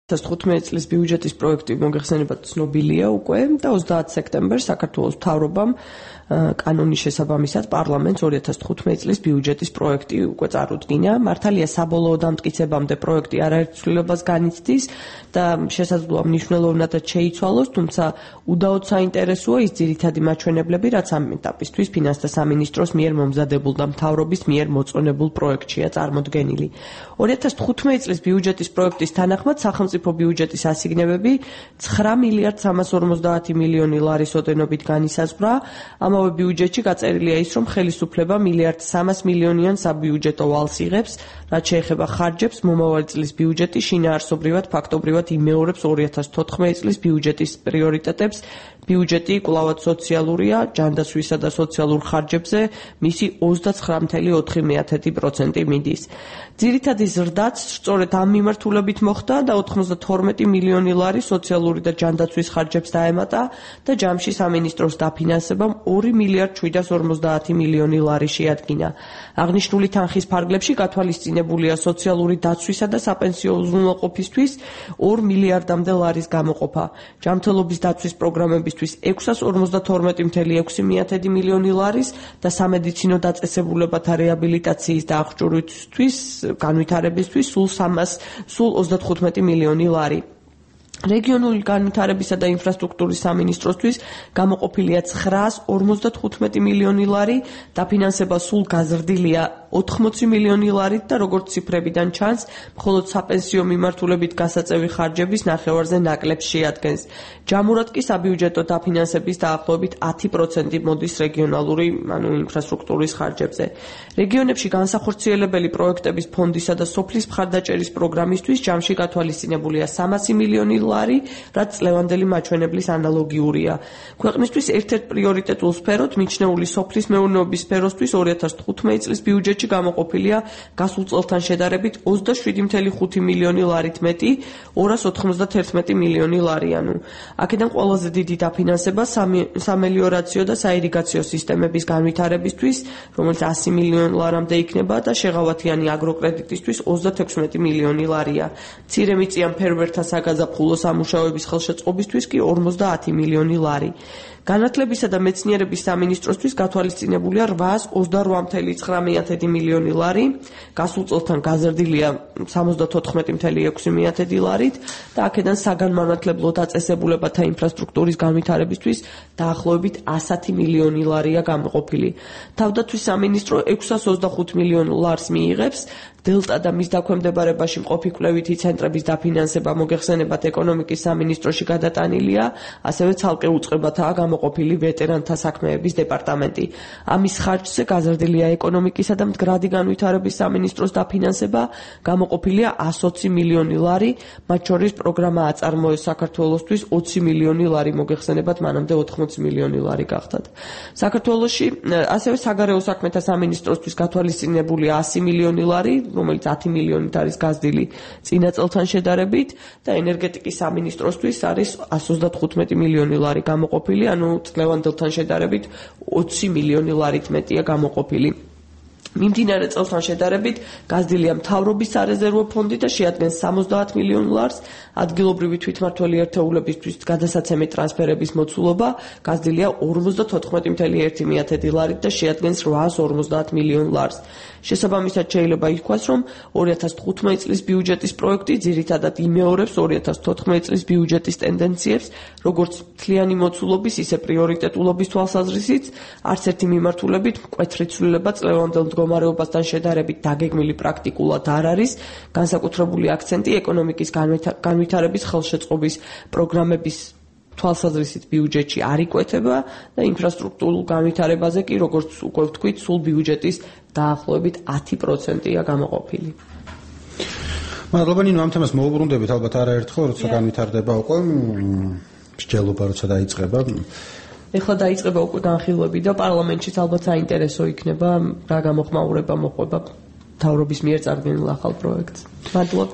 2015 წლის ბიუჯეტის პროექტი მოგეხსენებათ ცნობილია უკვე და 30 სექტემბერს საქართველოს მთავრობამ კანონის შესაბამისად პარლამენტს 2015 წლის ბიუჯეტის პროექტი უკვე წარუდგინა. მართალია საბოლოო დამტკიცებამდე პროექტი არაერთ ცვლილებას განიცდის და შესაძლოა მნიშვნელოვნადაც შეიცვალოს, თუმცა უდაოდ საინტერესოა ის ძირითადი მაჩვენებლები, რაც ამ ეტაპისთვის ფინანსთა სამინისტროს მიერ მომზადებულ და მთავრობის მიერ მოწონებულ პროექტშია წარმოდგენილი. 2015 წლის ბიუჯეტის პროექტის თანახმად სახელმწიფო ბიუჯეტის ასიგნებები 9 მილიარდ 350 მილიონი ლარის ოდენობით განისაზღვრა. ამავე ბიუჯეტში გაწერილია ის, რომ ხელისუფლება მილიარდ 300 მილიონიან საბიუჯეტო ვალს იღებს, რაც შეეხება ხარჯებს, მომავალი წლის ბიუჯეტი შინაარსობრივად ფაქტობრივად იმეორებს 2014 წლის ბიუჯეტის პრიორიტეტებს. ბიუჯეტი კვლავაც სოციალურია, ჯანდაცვისა და სოციალურ ხარჯებზე მისი 29.4% მიდის. ძირითადი ზრდაც სწორედ ამ მიმართულებით მოხდა და 92 მილიონი ლარი სოციალური და ჯანდაცვის ხარჯებს დაემატა და ჯამში სამინისტროს დაფინანსებამ 2 მილიარდ 750 მილიონი ლარი შეადგინა. აღნიშნული თანხის ფარგლებში გათვალისწინებულია სოციალური დაცვისა და საპენსიო უზრუნველყოფისთვის 2 მილიარდამდე ლარის გამოყოფა. ჯანმრთელობის დაცვის პროგრამებისთვის 652.6 მილიონი ლარის და სამედიცინო დაწესებულებათა რეაბილიტაციის და აღჭურვისთვის განვითარებისთვის სულ 35 მილიონი ლარი. რეგიონული განვითარებისა და ინფრასტრუქტურის სამინისტროსთვის გამოყოფილია 955 მილიონი ლარი, დაფინანსება სულ გაზრდილია 80 მილიონი ლარით და როგორც ციფრებიდან ჩანს, მხოლოდ საპენსიო მიმართულებით გასაწევი ხარჯების ნახევარზე ნაკლებს შეადგენს. ჯამურად კი საბიუჯეტო დაფინანსების დაახლოებით 10% მოდის რეგიონალური, ინფრასტრუქტურის ხარჯებზე. რეგიონებში განსახორციელებელი პროექტების ფონდისა და სოფლის მხარდაჭერის პროგრამისთვის ჯამში გათვალისწინებულია 300 მილიონი ლარი, რაც წლევანდელი მაჩვენებლის ანალოგიურია. ქვეყნისთვის ერთ-ერთ პრიორიტეტულ სფეროთ მიჩნეული სოფლის მეურნეობის სფეროსთვის 2015 წლის ბიუჯეტში გამოყოფილია გასულ წელთან შედარებით 27.5 მილიონი ლარით მეტი, 291 მილიონი ლარი. აქედან ყველაზე დიდი დაფინანსება სამელიორაციო და საირიგაციო სისტემების განვითარებისთვის, რომელიც 100 მილიონ ლარამდე იქნება და შეღავათიანი აგროკრედიტისთვის 36 მილიონი ლარია. მცირემიწიან ფერმერთა საგაზაფხულო სამუშაოების ხელშეწყობისთვის კი 50 მილიონი ლარი. განათლებისა და მეცნიერების სამინისტროსთვის გათვალისწინებულია 828.9 მილიონი ლარი, გასულ წელთან გაზრდილია 74.6 ლარით და აქედან საგანმანათლებლო დაწესებულებათა ინფრასტრუქტურის განვითარებისთვის დაახლოებით 100 მილიონი ლარია გამოყოფილი. თავდაცვის სამინისტრო 625 მილიონ ლარს მიიღებს. დელტა და მის დაქვემდებარებაში მყოფი კვლევითი ცენტრების დაფინანსება მოგეხსენებათ ეკონომიკის სამინისტროში გადატანილია, ასევე ცალკე უწყებათაა გამოყოფილი ვეტერანთა საქმეების დეპარტამენტი. ამის ხარჯზე გაზრდილია ეკონომიკისა და მდგრადი განვითარების სამინისტროს დაფინანსება, გამოყოფილია 120 მილიონი ლარი, მათ შორის პროგრამა აწარმოეს საქართველოსთვის 20 მილიონი ლარი, მოგეხსენებათ მანამდე 80 მილიონი ლარი გახდათ. საქართველოში ასევე საგარეო საქმეთა სამინისტროსთვის გათვალისწინებულია 100 მილიონი ლარი, რომელიც 10 მილიონით არის გაზრდილი წინა წელთან შედარებით და ენერგეტიკის სამინისტროსთვის არის 135 მილიონი ლარი გამოყოფილი, წლევანდელთან შედარებით 20 მილიონი ლარით მეტია გამოყოფილი. მიმდინარე წელთან შედარებით გაზრდილია მთავრობის სარეზერვო ფონდი და შეადგენს 70 მილიონ ლარს, ადგილობრივი თვითმმართველი ერთეულებისთვის გადასაცემი ტრანსფერების მოცულობა გაზრდილია 54.1 ლარით და შეადგენს 850 მილიონ ლარს. შესაბამისად შეიძლება ითქვას, რომ 2015 წლის ბიუჯეტის პროექტი ძირითადად იმეორებს 2014 წლის ბიუჯეტის ტენდენციებს, როგორც მთლიანი მოცულობის, ისე პრიორიტეტულობის თვალსაზრისით, არც ერთი მიმართულებით მკვეთრი ცვლილება წლევანდელ მდგომარეობასთან შედარებით დაგეგმილი პრაქტიკულად არ არის, განსაკუთრებული აქცენტი ეკონომიკის განვითარების ხელშეწყობის პროგრამების თვალსაზრისით ბიუჯეტში არ იკვეთება და ინფრასტრუქტურულ განვითარებაზე კი, როგორც უკვე ვთქვით, სულ ბიუჯეტის დაახლოებით 10%-ია გამოყოფილი. მადლობა ნინო, ამ თემას მოუბრუნდებით ალბათ არაერთხელ, როცა განვითარდება უკვე მსჯელობა, როცა დაიწყება. ეხლა დაიწყება უკვე განხილვები და პარლამენტშიც ალბათ საინტერესო იქნება რა გამოხმაურება მოყვება მთავრობის მიერ წარდგენილ ახალ პროექტს. მადლობა.